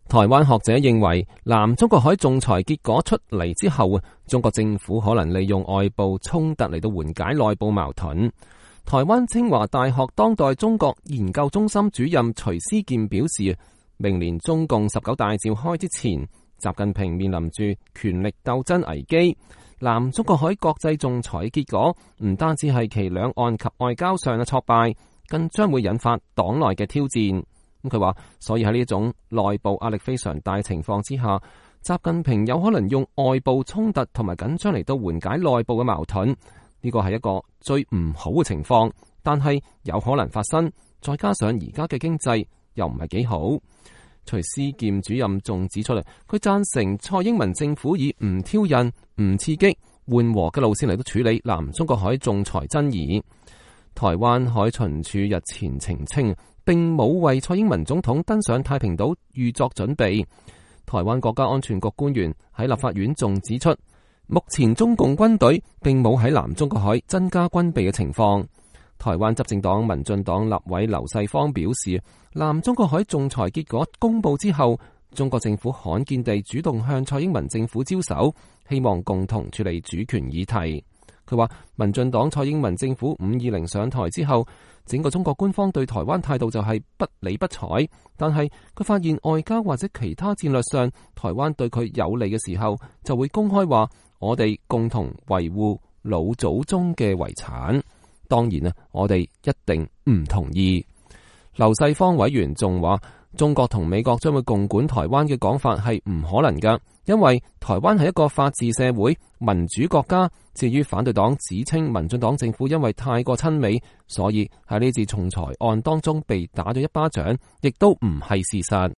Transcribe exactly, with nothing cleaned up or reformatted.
台灣學者認為，南中國海仲裁結果出嚟之後，中國政府可能利用外部衝突嚟到緩解內部矛盾。台灣清華大學當代中國研究中心主任徐思健表示，明年中共十九大召開之前，習近平面臨住權力鬥爭危機。南中國海國際仲裁結果唔單止係其兩岸及外交上嘅挫敗，更將會引發黨內嘅挑戰。咁佢話，所以喺呢種內部壓力非常大情況之下，習近平有可能用外部衝突同埋緊張嚟到緩解內部嘅矛盾。呢個係一個最唔好嘅情況，但係有可能發生。再加上而家嘅經濟又唔係幾好。徐思健主任仲指出嚟，佢贊成蔡英文政府以唔挑釁、唔刺激、緩和嘅路線嚟到處理南中國海仲裁爭議。台灣海巡署日前澄清，並冇為蔡英文總統登上太平島預作準備。台灣國家安全局官員喺立法院仲指出，目前中共軍隊並冇喺南中國海增加軍備嘅情況。台灣執政黨民進黨立委劉世芳表示，南中國海仲裁結果公布之後，中國政府罕見地主動向蔡英文政府招手，希望共同處理主權議題。佢話，民進黨蔡英文政府五二零上台之後，整個中國官方對台灣態度就係不理不睬。但係佢發現外交或者其他戰略上，台灣對佢有利嘅時候，就會公開話我哋共同維護老祖宗嘅遺產。當然啊，我哋一定唔同意。劉世芳委員仲話，中國同美國將會共管台灣嘅講法係唔可能㗎，因為台灣係一個法治社會、民主國家。至於反對黨指稱民進黨政府因為太過親美，所以喺呢次仲裁案當中被打咗一巴掌，亦都唔係事實。